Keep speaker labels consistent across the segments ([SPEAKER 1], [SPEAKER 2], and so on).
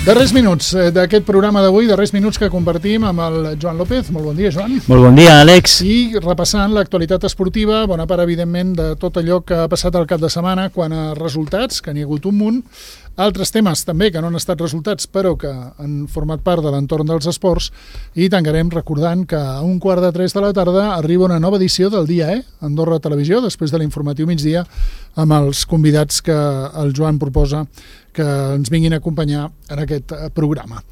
[SPEAKER 1] Darrers minuts d'aquest programa d'avui, darrers minuts que compartim amb el Joan López. Molt bon dia, Joan.
[SPEAKER 2] Molt bon dia, Àlex.
[SPEAKER 1] I repassant l'actualitat esportiva, bona part, evidentment, de tot allò que ha passat al cap de setmana quant a resultats, que n'hi ha hagut un munt, altres temes també que no han estat resultats però que han format part de l'entorn dels esports, i tancarem recordant que a 2:45 de la tarda arriba una nova edició del Dia E, Andorra Televisió, després de l'informatiu migdia, amb els convidats que el Joan proposa que ens vinguin a acompanyar en aquest programa.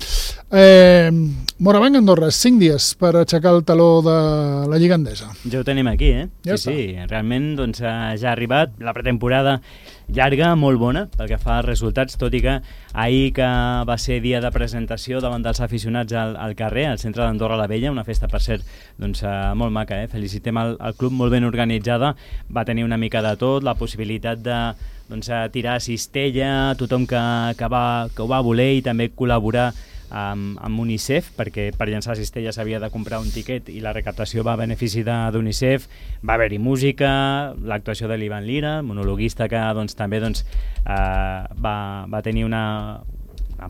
[SPEAKER 1] Morabanc Andorra, 5 dies per aixecar el taló de la Lliga Endesa.
[SPEAKER 2] Ja ho tenim aquí,
[SPEAKER 1] Ja
[SPEAKER 2] sí, realment doncs, ja ha arribat la pretemporada llarga, molt bona, pel que fa als resultats, tot i que ahir, que va ser dia de presentació davant dels aficionats al carrer, al centre d'Andorra la Vella, una festa, per cert, doncs, molt maca, felicitem el club, molt ben organitzada, va tenir una mica de tot, la possibilitat de tirar cistella, tothom que ho va voler, i també col·laborar amb UNICEF, perquè per llançar cistella s'havia de comprar un tiquet i la recaptació va a benefici d'UNICEF. Va haver-hi música, l'actuació de l'Ivan Lira, monologuista, que també va tenir una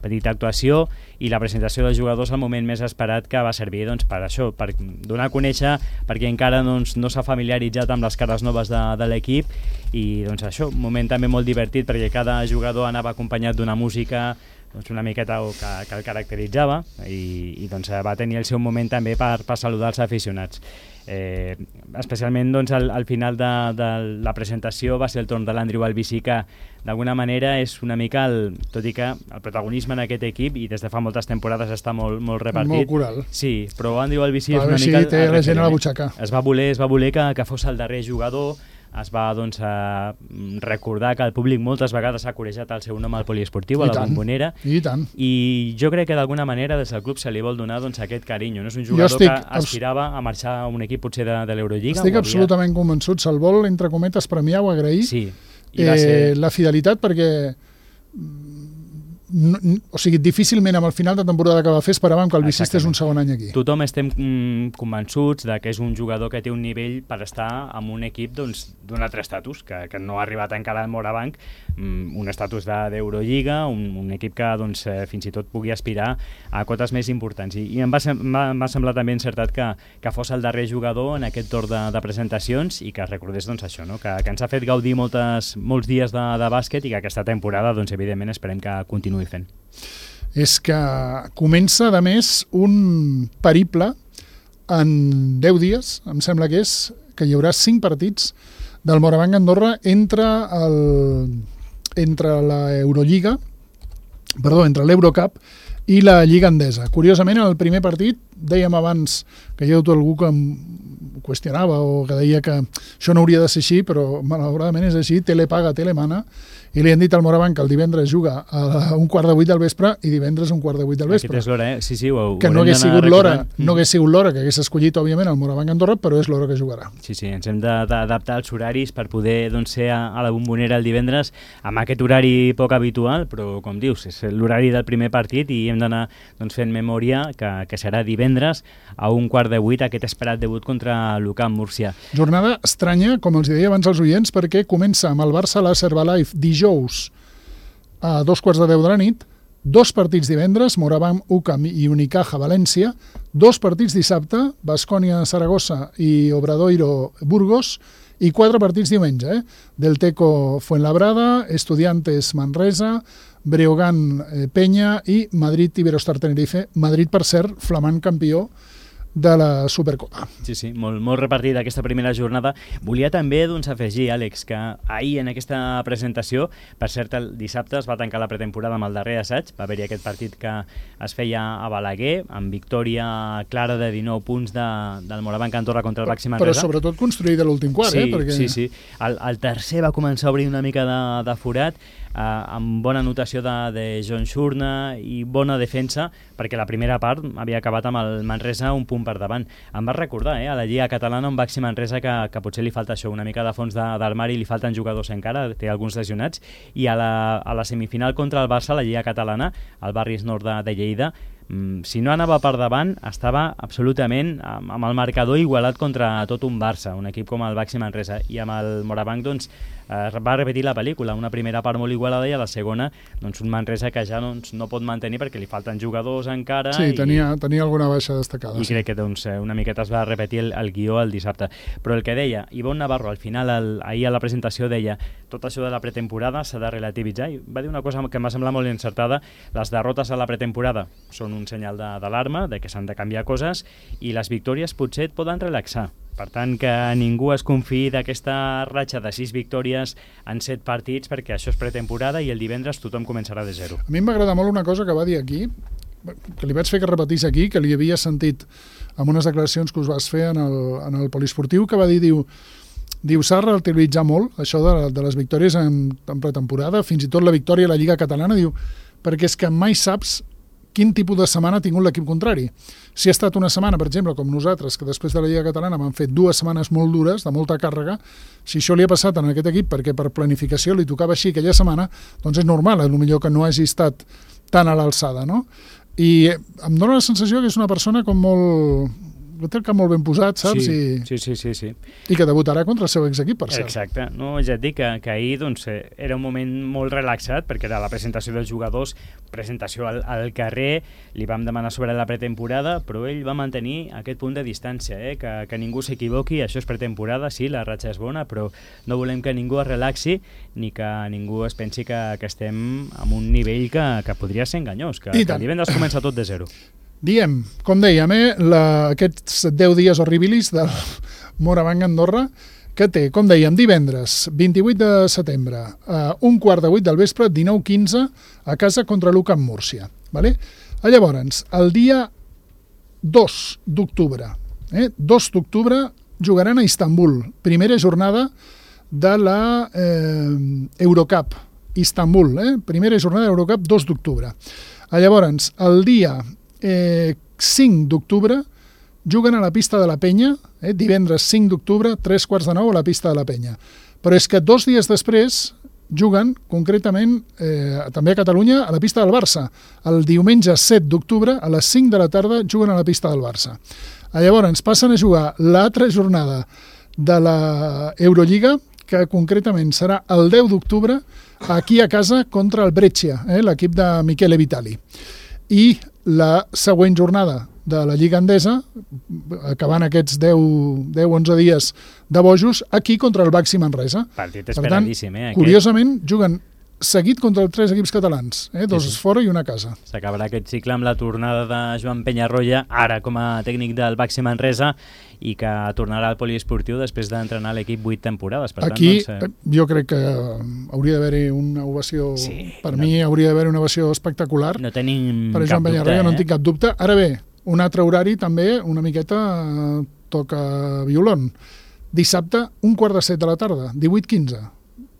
[SPEAKER 2] petita actuació, i la presentació dels jugadors al moment més esperat, que va servir per això, per donar a conèixer, perquè encara no s'ha familiaritzat amb les cares noves de l'equip, i això, un moment també molt divertit, perquè cada jugador anava acompanyat d'una música una miqueta que el caracteritzava, i va tenir el seu moment també per saludar els aficionats. Especialment al final de la presentació va ser el torn de l'Andrew Albici, que d'alguna manera és una mica tot i que el protagonisme en aquest equip, i des de fa moltes temporades està molt repartit.
[SPEAKER 1] Molt coral.
[SPEAKER 2] Sí, però Andrew Albici és una mica...
[SPEAKER 1] té la gent a la butxaca.
[SPEAKER 2] Es va voler que fos el darrer jugador. Es va recordar que el públic moltes vegades ha corejat el seu nom al poliesportiu, a la Bombonera, i jo crec que d'alguna manera des del club se li vol donar aquest carinyo. No és un jugador que aspirava a marxar a un equip potser de l'Eurolliga.
[SPEAKER 1] Estic absolutament convençut, se'l vol, entre cometes, premiar o agrair la fidelitat, perquè difícilment amb el final de temporada que va fer esperàvem que el Bici estés un segon any aquí.
[SPEAKER 2] Tothom estem convençuts que és un jugador que té un nivell per estar en un equip d'un altre estatus, que no ha arribat encara al Morabanc, un estatus d'Eurolliga, un equip que fins i tot pugui aspirar a cotes més importants, i em va semblar també encertat que fos el darrer jugador en aquest torn de presentacions, i que recordés això, que ens ha fet gaudir molts dies de bàsquet, i que aquesta temporada evidentment esperem que continuï fent.
[SPEAKER 1] És que comença, a més, un periple en 10 dies, em sembla que hi haurà 5 partits del Morabanc Andorra entre l'Eurocup i la Lliga Endesa. Curiosament, en el primer partit, dèiem abans que hi ha algú que ho qüestionava o que deia que això no hauria de ser així, però malauradament és així, tele paga, tele mana, i li han dit al Morabanc que el divendres juga a 7:15 del vespre i divendres a 7:15 del vespre.
[SPEAKER 2] Aquest és l'hora, sí,
[SPEAKER 1] que no hagués sigut l'hora que hagués escollit, òbviament, el Morabanc Andorra, però és l'hora que jugarà.
[SPEAKER 2] Sí, ens hem d'adaptar als horaris per poder ser a la Bombonera el divendres amb aquest horari poc habitual, però, com dius, és l'horari del primer partit, i hem d'anar fent memòria que serà divendres a 7:15 aquest esperat debut contra l'UCAM Múrcia.
[SPEAKER 1] Jornada estranya, com els deia abans als oients, perquè comença amb el Barça Laser Herbalife dijous a 2:15 de la nit, 2 partits divendres, Morabanc UCAM i Unicaja València, 2 partits dissabte, Baskonia Saragossa i Obradoiro Burgos, i 4 partits diumenge, Delteco Fuenlabrada, Estudiantes Manresa, Breogán Peña i Madrid Iberostar Tenerife. Madrid, per cert, flamant campió de la Supercopa.
[SPEAKER 2] Sí, molt repartida aquesta primera jornada. Volia també afegir, Àlex, que ahir en aquesta presentació, per cert, el dissabte es va tancar la pretemporada amb el darrer assaig, va haver-hi aquest partit que es feia a Balaguer, amb victòria clara de 19 punts del Morabanc Andorra contra el Baxi Manresa.
[SPEAKER 1] Però sobretot construït a l'últim quart, perquè...
[SPEAKER 2] Sí. El tercer va començar a obrir una mica de forat, amb bona anotació de John Shurna i bona defensa, perquè la primera part havia acabat amb el Manresa un punt per davant. Em va recordar a la Lliga Catalana un Baxi Manresa que potser li falta això, una mica de fons d'armari, li falten jugadors encara, té alguns lesionats, i a la semifinal contra el Barça, la Lliga Catalana, al Barris Nord de Lleida, si no anava per davant, estava absolutament amb el marcador igualat contra tot un Barça, un equip com el Baxi Manresa, i amb el Morabanc doncs, va repetir la pel·lícula, una primera part molt igualada i a la segona doncs, un Manresa que ja doncs, no pot mantenir perquè li falten jugadors encara.
[SPEAKER 1] Sí, tenia alguna baixa destacada.
[SPEAKER 2] I crec que doncs, una miqueta es va repetir el guió el dissabte. Però el que deia, Ivonne Navarro al final, ahir a la presentació deia tot això de la pretemporada s'ha de relativitzar i va dir una cosa que m'ha semblat molt encertada, les derrotes a la pretemporada són un senyal d'alarma, de que s'han de canviar coses i les victòries potser et poden relaxar. Per tant, que ningú es confiï d'aquesta ratxa de 6 victòries en 7 partits perquè això és pretemporada i el divendres tothom començarà de zero.
[SPEAKER 1] A mi m'agrada molt una cosa que va dir aquí, que li vaig fer que repetís aquí, que li havia sentit en unes declaracions que us vas fer en el poliesportiu, que va dir, diu s'ha de relativitzar molt això de les victòries en pretemporada, fins i tot la victòria a la Lliga Catalana, diu, perquè és que mai saps quin tipus de setmana ha tingut l'equip contrari. Si ha estat una setmana, per exemple, com nosaltres, que després de la Lliga Catalana vam fer 2 setmanes molt dures, de molta càrrega, si això li ha passat en aquest equip perquè per planificació li tocava així aquella setmana, doncs és normal, millor que no hagi estat tan a l'alçada, no? I em dóna la sensació que és una persona com molt... que té el cap molt ben posat, saps?
[SPEAKER 2] Sí.
[SPEAKER 1] I que debutarà contra el seu exequip, per cert.
[SPEAKER 2] Exacte. No, ja et dic que ahir doncs, era un moment molt relaxat, perquè era la presentació dels jugadors, presentació al carrer, li vam demanar sobre la pretemporada, però ell va mantenir aquest punt de distància, que ningú s'equivoqui, això és pretemporada, sí, la ratxa és bona, però no volem que ningú es relaxi ni que ningú es pensi que estem en un nivell que podria ser enganyós, que el divendres comença tot de zero.
[SPEAKER 1] Diem, com dèiem, aquests 10 dies horribilis del Morabanc Andorra, que té, com dèiem, divendres 28 de setembre, a 7:15 del vespre, 19:15, a casa contra l'UCAM Múrcia. Vale? Llavors, el dia 2 d'octubre, 2 d'octubre jugaran a Istanbul, primera jornada de la Eurocup, Istanbul, primera jornada de l'Eurocup, 2 d'octubre. Llavors, el dia 5 d'octubre juguen a la pista de la Penya, divendres 5 d'octubre, 8:45 a la pista de la Penya. Però és que 2 dies després juguen, concretament, també a Catalunya, a la pista del Barça. El diumenge 7 d'octubre, a les 5 de la tarda, juguen a la pista del Barça. Llavors passen a jugar l'altra jornada de la Eurolliga, que concretament serà el 10 d'octubre, aquí a casa contra el Brescia, l'equip de Michele Vitali. I la següent jornada de la Lliga Endesa, acabant aquests 10-11 dies de bojos, aquí contra el Baxi Manresa.
[SPEAKER 2] Partit esperadíssim,
[SPEAKER 1] Per tant, curiosament, juguen seguit contra els 3 equips catalans, 2 fora i una a casa.
[SPEAKER 2] S'acabarà aquest cicle amb la tornada de Joan Penyarroia, ara com a tècnic del Baxi Manresa, i que tornarà al poliesportiu després d'entrenar l'equip 8 temporades. Per
[SPEAKER 1] aquí
[SPEAKER 2] tant, doncs,
[SPEAKER 1] jo crec que hauria d'haver-hi una ovació, mi hauria d'haver una ovació espectacular.
[SPEAKER 2] No tenim
[SPEAKER 1] per Joan Penyarroia, no en tinc cap dubte. Ara bé, un altre horari també una miqueta toca violon. Dissabte, 7:15 de la tarda, 18:15.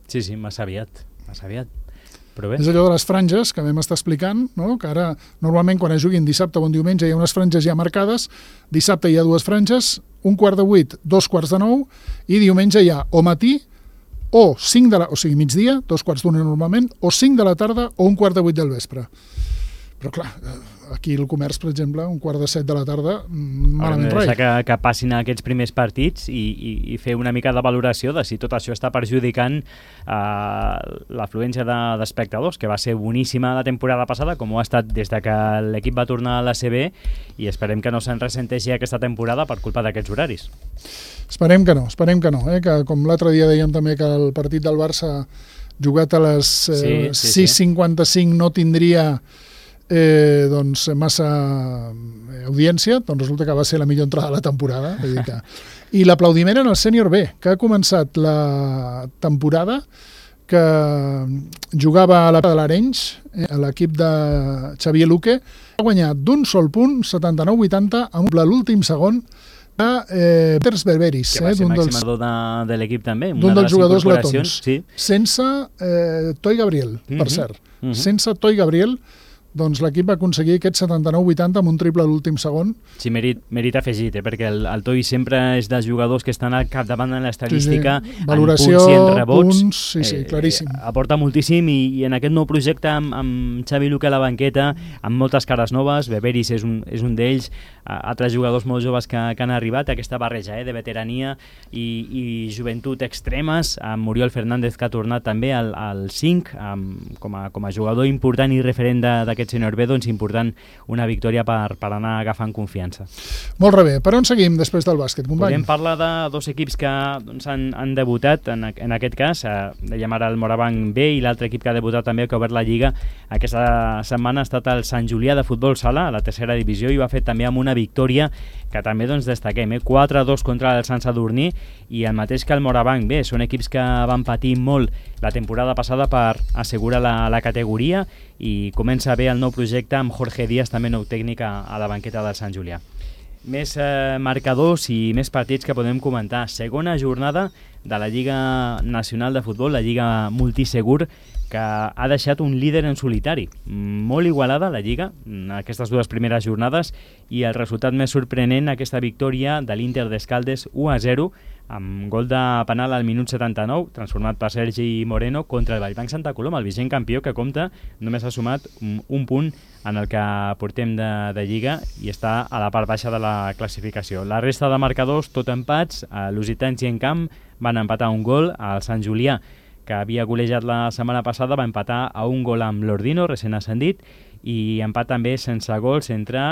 [SPEAKER 2] Sí, massa aviat. Però bé.
[SPEAKER 1] És allò de les franges que vam estar explicant, no? Que ara normalment quan es juguin dissabte o diumenge hi ha unes franges ja marcades, dissabte hi ha 2 franges, 7:15, 2:45, i diumenge hi ha o matí o 5 de la, o sigui migdia, 2:15 normalment, o 5 de la tarda o 7:15 del vespre. Però clar, aquí el comerç, per exemple, 6:45 de la tarda, malament res.
[SPEAKER 2] Que passin aquests primers partits i fer una mica de valoració de si tot això està perjudicant l'afluència d'espectadors, que va ser boníssima la temporada passada, com ho ha estat des de que l'equip va tornar a l'ACB, i esperem que no se'n ressenteixi aquesta temporada per culpa d'aquests horaris.
[SPEAKER 1] Esperem que no, que com l'altre dia dèiem també que el partit del Barça jugat a les 6:55 no tindria doncs massa audiència, doncs resulta que va ser la millor entrada de la temporada. I l'aplaudiment en el sènior B, que ha començat la temporada que jugava a la de l'Arenys, a l'equip de Xavier Luque, ha guanyat d'un sol punt, 79-80, amb l'últim segon de Peters Berberis,
[SPEAKER 2] que va ser maximador de l'equip també,
[SPEAKER 1] d'un dels jugadors letons,
[SPEAKER 2] sí.
[SPEAKER 1] sense Toi Gabriel, per cert, sense Toi Gabriel, doncs l'equip va aconseguir aquest 79-80 amb un triple a l'últim segon.
[SPEAKER 2] Sí, mèrit afegit, perquè el Toi sempre és dels jugadors que estan al capdavant en l'estadística,
[SPEAKER 1] valoració,
[SPEAKER 2] en punts i en rebots.
[SPEAKER 1] Punts, claríssim.
[SPEAKER 2] Aporta moltíssim i en aquest nou projecte amb Xavi Luque a la banqueta, amb moltes cares noves, Beberis és un d'ells, altres jugadors molt joves que han arribat, aquesta barreja de veterania i joventut extremes, amb Oriol Fernández que ha tornat també al 5 com a jugador important i referent d'aquest senior B, doncs important una victòria per anar agafant confiança.
[SPEAKER 1] Molt bé, per on seguim després del bàsquet, company?
[SPEAKER 2] Podem parlar de dos equips que doncs, han debutat, en aquest cas, dèiem ara el Morabanc B i l'altre equip que ha debutat també, que ha obert la Lliga aquesta setmana, ha estat el Sant Julià de futbol sala, a la tercera divisió, i ho ha fet també amb una victòria que també doncs, destaquem, 4-2 contra el Sant Sadurní, i el mateix que el Morabanc B. Són equips que van patir molt la temporada passada per assegurar la categoria, i comença bé el nou projecte amb Jorge Díaz, també nou tècnic a la banqueta del Sant Julià. Més marcadors i més partits que podem comentar. Segona jornada de la Lliga Nacional de Futbol, la Lliga Multisegur, que ha deixat un líder en solitari. Molt igualada la Lliga, aquestes dues primeres jornades, i el resultat més sorprenent, aquesta victòria de l'Inter d'Escaldes 1-0, amb gol de penal al minut 79, transformat per Sergi Moreno, contra el Vallbanc Santa Coloma, el vigent campió, que compta, només ha sumat un punt en el que portem de Lliga i està a la part baixa de la classificació. La resta de marcadors, tot empats, l'Usitans i Encamp van empatar un gol, al Sant Julià, que havia golejat la setmana passada, va empatar a un gol amb l'Ordino, recent ascendit, i empat també sense gols entre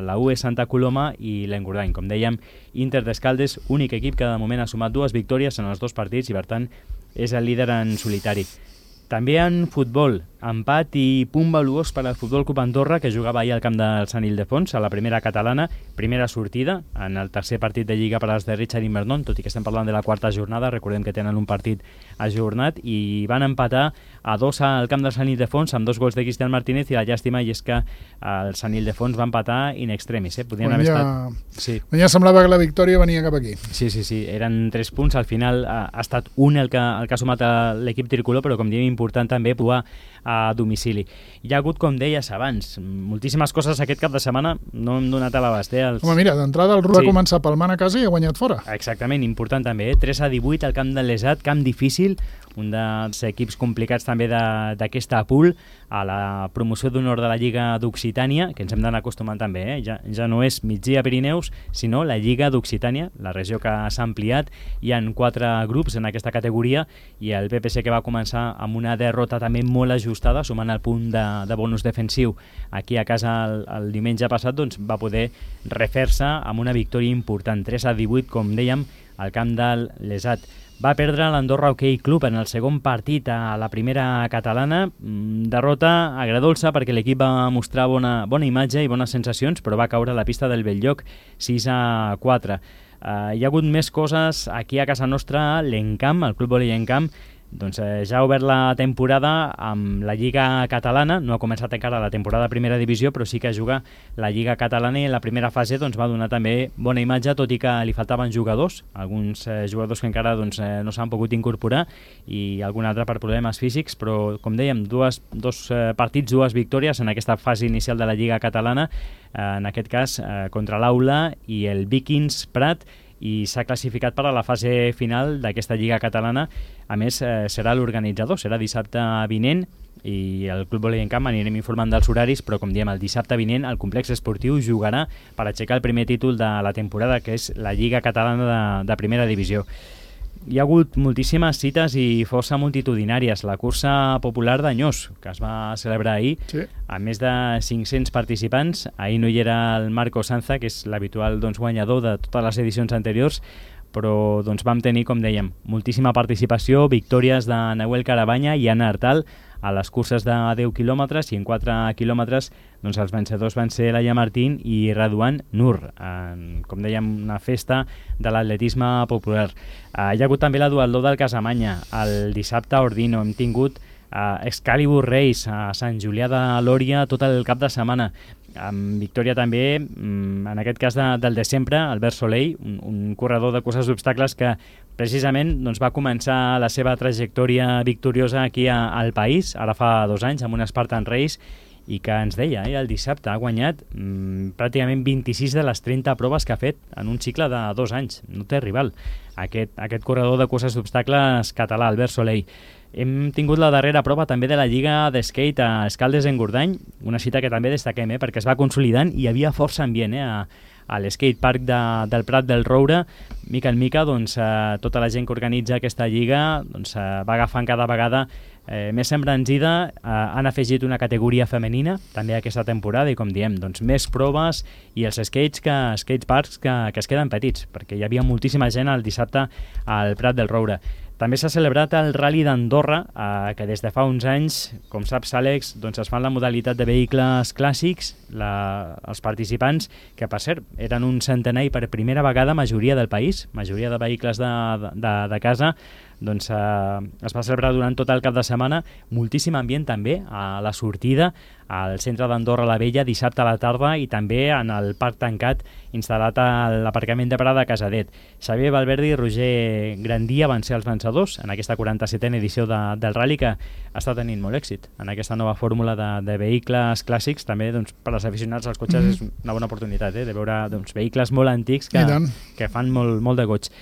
[SPEAKER 2] la UE Santa Coloma i l'Engordany. Com dèiem, Inter d'Escaldes, únic equip que de moment ha sumat 2 victòries en els 2 partits i per tant és el líder en solitari. També en futbol, empat i punt valuós per al Futbol Club Andorra, que jugava ahir al camp del Sant Ildefons, a la primera catalana, primera sortida en el tercer partit de Lliga per als de Richard Invernon, tot i que estem parlant de la quarta jornada, recordem que tenen un partit ajornat, i van empatar a 2 al camp del Sant Ildefons amb 2 gols de Cristian Martínez, i la llàstima és que el Sant Ildefons va empatar in extremis. Podien haver estat... Sí.
[SPEAKER 1] Ja semblava que la victòria venia cap aquí.
[SPEAKER 2] Sí, eren 3 punts, al final ha estat un el que ha sumat l'equip tricolor, però com diem, important també provar a domicili. Hi ha hagut, com deies abans, moltíssimes coses aquest cap de setmana, no hem donat a l'abast.
[SPEAKER 1] Home, mira, d'entrada el Ru va començar palmant a casa i ha guanyat fora.
[SPEAKER 2] Exactament, important també, 3-18 al camp de l'Esat, camp difícil, un dels equips complicats també d'aquesta pool, a la promoció d'honor de la Lliga d'Occitània, que ens hem d'anar acostumant també, ja no és Migdia Pirineus, sinó la Lliga d'Occitània, la regió que s'ha ampliat. Hi han 4 grups en aquesta categoria, i el PPC, que va començar amb una derrota també molt ajustada, sumant el punt de bonus defensiu aquí a casa el diumenge passat, doncs va poder refer-se amb una victòria important, 3-18, com dèiem, al camp de l'Esat. Va perdre l'Andorra Hockey Club en el segon partit a la primera catalana, derrota agredolça perquè l'equip va mostrar bona imatge i bones sensacions, però va caure a la pista del Belllloc 6-4. Hi ha hagut més coses aquí a casa nostra. L'Encamp, el Club Vòlei Encamp, doncs ja ha obert la temporada amb la Lliga Catalana. No ha començat encara la temporada de primera divisió, però sí que juga la Lliga Catalana, i en la primera fase doncs, va donar també bona imatge, tot i que li faltaven jugadors, alguns jugadors que encara doncs, no s'han pogut incorporar, i algun altre per problemes físics, però com dèiem, dos partits, 2 victòries en aquesta fase inicial de la Lliga Catalana, en aquest cas contra l'Aula i el Vikings Prat, i s'ha classificat per a la fase final d'aquesta Lliga Catalana. A més, serà l'organitzador, serà dissabte vinent, i el Club Vòlei Encamp anirem informant dels horaris, però com diem, el dissabte vinent el complex esportiu jugarà per aixecar el primer títol de la temporada, que és la Lliga Catalana de primera divisió. Hi ha hagut moltíssimes cites i força multitudinàries. La cursa popular d'Anyós, que es va celebrar ahir, sí, amb més de 500 participants. Ahir no hi era el Marco Sanza, que és l'habitual guanyador de totes les edicions anteriors, però vam tenir, com dèiem, moltíssima participació, victòries de Nahuel Carabanya i Anna Artal a les curses de 10 quilòmetres, i en 4 quilòmetres els vencedors van ser Laia Martín i Raduan Nur, com dèiem, una festa de l'atletisme popular. Hi ha hagut també la duatló del Casamanya, el dissabte a Ordino. Hem tingut Excalibur Race a Sant Julià de Lòria tot el cap de setmana, amb victòria també, en aquest cas del de sempre, Albert Soleil, un corredor de curses d'obstacles que precisament va començar la seva trajectòria victoriosa aquí al país, ara fa 2 anys, amb un Spartan Race, i que ens deia, el dissabte ha guanyat pràcticament 26 de les 30 proves que ha fet en un cicle de 2 anys. No té rival. Aquest corredor de curses d'obstacles català, Albert Soleil. Hem tingut la darrera prova també de la Lliga d'Skate a Escaldes-Engordany, una cita que també destaquem, perquè es va consolidant i hi havia força ambient a l'skatepark del Prat del Roure. Mica en mica, doncs, tota la gent que organitza aquesta lliga doncs, va agafant cada vegada més embranzida. Han afegit una categoria femenina també aquesta temporada i, com diem, doncs, més proves i els skateparks que es queden petits, perquè hi havia moltíssima gent el dissabte al Prat del Roure. També s'ha celebrat el Rally d'Andorra, que des de fa uns anys, com saps, Àlex, doncs es fa en la modalitat de vehicles clàssics. Els participants, que per cert eren un centenar i per primera vegada majoria del país, majoria de vehicles de casa, doncs es va celebrar durant tot el cap de setmana. Moltíssim ambient també a la sortida al centre d'Andorra la Vella dissabte a la tarda i també en el parc tancat instal·lat a l'aparcament de Prada de Casadet. Xavier Valverde i Roger Grandia van ser els vencedors en aquesta 47a edició del Rally, que està tenint molt èxit en aquesta nova fórmula de vehicles clàssics. També doncs, per als aficionats als cotxes és una bona oportunitat de veure doncs, vehicles molt antics que fan molt de goig.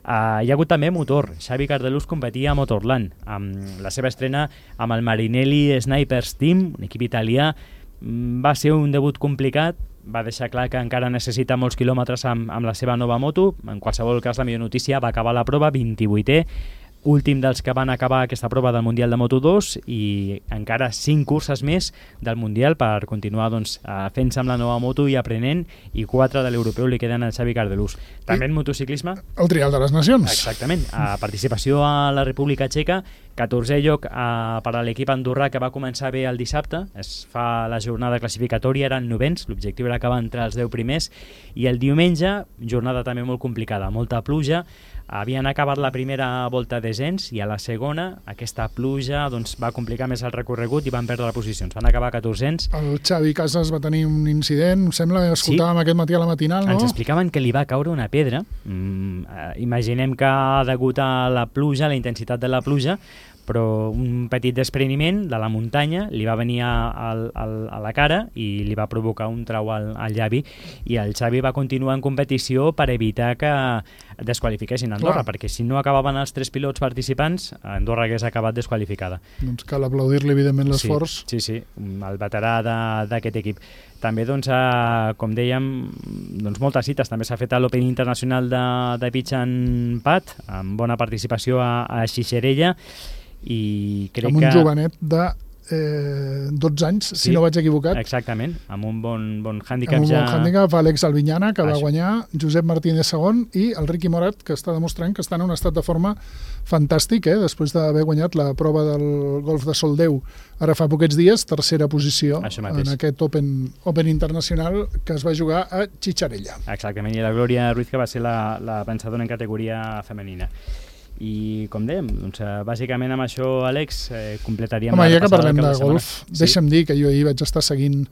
[SPEAKER 2] Hi ha hagut també motor. Xavi Cardelús competia a Motorland amb la seva estrena amb el Marinelli Snipers Team, un equip italià. Va ser un debut complicat, va deixar clar que encara necessita molts quilòmetres amb la seva nova moto. En qualsevol cas, la millor notícia, va acabar la prova 28è, últim dels que van acabar aquesta prova del Mundial de Moto2, i encara 5 curses més del Mundial per continuar doncs, fent-se amb la nova moto i aprenent, i 4 de l'europeu li queden al Xavi Cardelús. També en motociclisme...
[SPEAKER 1] El Trial de les Nacions.
[SPEAKER 2] Exactament. Participació a la República Txeca, 14è lloc per a l'equip andorrà, que va començar bé el dissabte. Es fa la jornada classificatòria, eren novens, l'objectiu era acabar entre els 10 primers, i el diumenge, jornada també molt complicada, molta pluja. Havien acabat la primera volta descens i a la segona aquesta pluja doncs, va complicar més el recorregut i van perdre les posicions. Van acabar 1400.
[SPEAKER 1] El Xavi Casas va tenir un incident, sembla que escoltàvem aquest matí a la matinal, no?
[SPEAKER 2] Ens explicaven que li va caure una pedra. Imaginem que degut a la pluja, la intensitat de la pluja, però un petit despreniment de la muntanya li va venir a la cara i li va provocar un trau al llavi, i el Xavi va continuar en competició per evitar que desqualifiquessin Andorra. Clar. Perquè si no acabaven els 3 pilots participants, Andorra hagués acabat desqualificada.
[SPEAKER 1] Doncs cal aplaudir-li evidentment l'esforç.
[SPEAKER 2] Sí, el veterà d'aquest equip. També, doncs, com dèiem, doncs, moltes cites. També s'ha fet a l'Open Internacional de Pitch and Pad, amb bona participació a Xixerella, i crec
[SPEAKER 1] amb un
[SPEAKER 2] que...
[SPEAKER 1] jovenet de 12 anys, si no vaig equivocat.
[SPEAKER 2] Exactament, amb un bon hàndicap.
[SPEAKER 1] Amb un bon hàndicap, Àlex Albinyana, que va
[SPEAKER 2] Això.
[SPEAKER 1] guanyar, Josep Martínez segon, i el Ricky Morat, que està demostrant que està en un estat de forma fantàstic, després d'haver guanyat la prova del golf de Soldeu ara fa poquets dies, tercera posició en aquest Open Internacional que es va jugar a Xixerella.
[SPEAKER 2] Exactament, i la Glòria Ruiz, que va ser la vencedora en categoria femenina. I, com dèiem, doncs, bàsicament amb això, Àlex, completaríem...
[SPEAKER 1] Home, ja que parlem de golf, deixa'm dir que jo ahir vaig estar seguint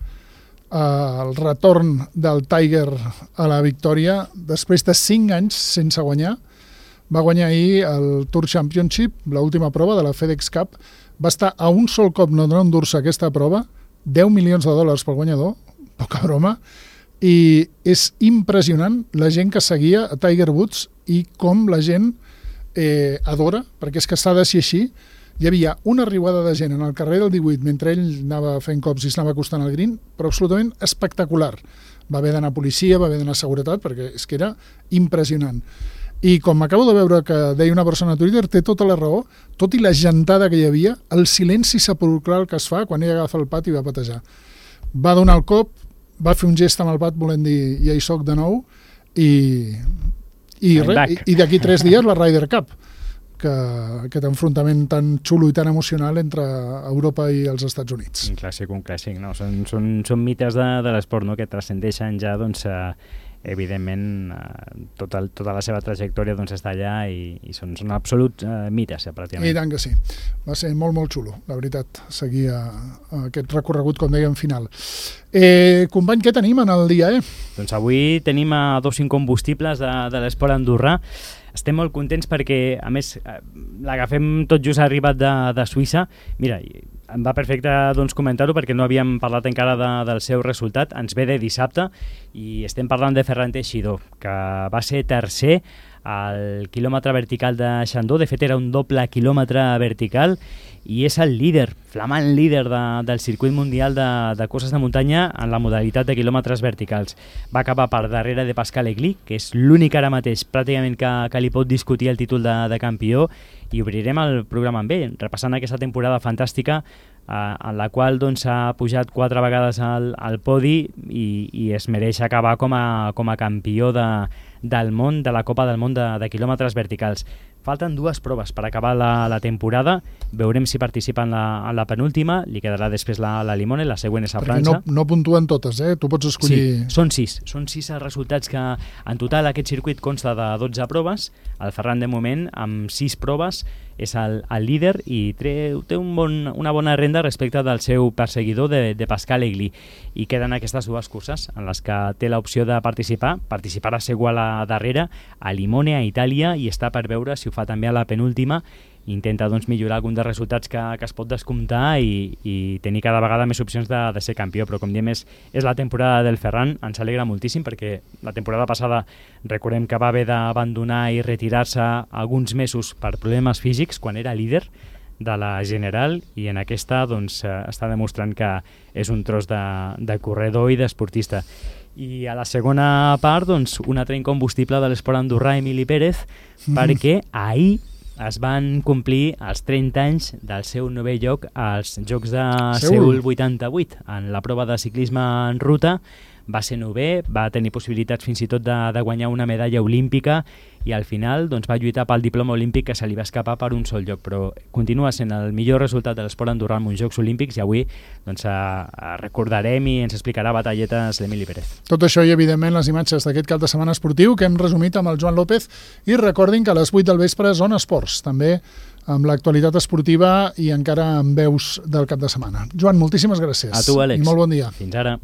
[SPEAKER 1] el retorn del Tiger a la victòria després de 5 anys sense guanyar. Va guanyar ahir el Tour Championship, l'última prova de la FedEx Cup. Va estar a un sol cop no endur-se aquesta prova, $10 milions pel guanyador, poca broma, i és impressionant la gent que seguia a Tiger Woods i com la gent adora, perquè és que s'ha de ser així. Hi havia una riuada de gent en el carrer del 18 mentre ell anava fent cops i s'anava acostant al green, però absolutament espectacular. Va haver d'anar policia, va haver d'anar seguretat, perquè és que era impressionant. I com acabo de veure que deia una persona a Twitter, té tota la raó, tot i la gentada que hi havia, el silenci sepulcral que es fa quan ell agafa el pat i va patejar. Va donar el cop, va fer un gest amb el pat volent dir ja hi soc de nou, i d'aquí 3 dies la Ryder Cup, que aquest enfrontament tan xulo i tan emocional entre Europa i els Estats Units.
[SPEAKER 2] Un clàssic, no? Són mites de l'esport, no? Que transcendeixen ja, doncs, evidentment, tota la seva trajectòria doncs, està allà i són absoluts mites, pràcticament.
[SPEAKER 1] I tant que sí. Va ser molt xulo, la veritat, seguir aquest recorregut, com dèiem, final. Company, què tenim en el dia?
[SPEAKER 2] Doncs avui tenim 2 incombustibles de l'esport andorrà. Estem molt contents perquè, a més, l'agafem tot just arribat de Suïssa. Mira, Em va perfecte comentar-ho perquè no havíem parlat encara del seu resultat. Ens ve de dissabte i estem parlant de Ferran Teixidor, que va ser tercer al quilòmetre vertical de Xandó. De fet, era un doble quilòmetre vertical i és el líder, flamant líder del circuit mundial de curses de muntanya en la modalitat de quilòmetres verticals. Va acabar per darrere de Pascal Egli, que és l'únic ara mateix pràcticament que li pot discutir el títol de campió, i obrirem el programa amb ell, repassant aquesta temporada fantàstica en la qual s'ha pujat 4 vegades al podi i es mereix acabar com a campió del món, de la Copa del Món de quilòmetres verticals. Falten 2 proves per acabar la temporada. Veurem si participa en la penúltima. Li quedarà després la Limone, la següent és a França.
[SPEAKER 1] Perquè no puntuen totes, tu pots escollir...
[SPEAKER 2] Sí, són 6. Són 6 els resultats que en total aquest circuit consta de 12 proves. El Ferran, de moment, amb 6 proves, és el líder i té una bona renda respecte del seu perseguidor de Pascal Egli. I queden aquestes 2 curses en les que té l'opció de participar. Participarà segur a la darrera, a Limone, a Itàlia, i està per veure si ho fa també a la penúltima. Intenta millorar algun dels resultats que es pot descomptar i tenir cada vegada més opcions de ser campió, però com diem és la temporada del Ferran. Ens alegra moltíssim perquè la temporada passada recordem que va haver d'abandonar i retirar-se alguns mesos per problemes físics quan era líder de la General, i en aquesta està demostrant que és un tros de corredor i d'esportista. I a la segona part, un altre incombustible de l'esport andorrà, Emili Pérez, perquè ahir es van complir els 30 anys del seu 9è lloc als Jocs de Seul 88. En la prova de ciclisme en ruta va ser 9è, va tenir possibilitats fins i tot de guanyar una medalla olímpica i al final va lluitar pel diploma olímpic que se li va escapar per un sol lloc, però continua sent el millor resultat de l'esport andorrà en uns Jocs Olímpics, i avui recordarem i ens explicarà batalletes l'Emili Pérez.
[SPEAKER 1] Tot això i, evidentment, les imatges d'aquest cap de setmana esportiu que hem resumit amb el Joan López, i recordin que a les 8 del vespre Zona Esports, també amb l'actualitat esportiva i encara amb veus del cap de setmana. Joan, moltíssimes gràcies.
[SPEAKER 2] A tu, Àlex.
[SPEAKER 1] I molt bon dia.
[SPEAKER 2] Fins ara.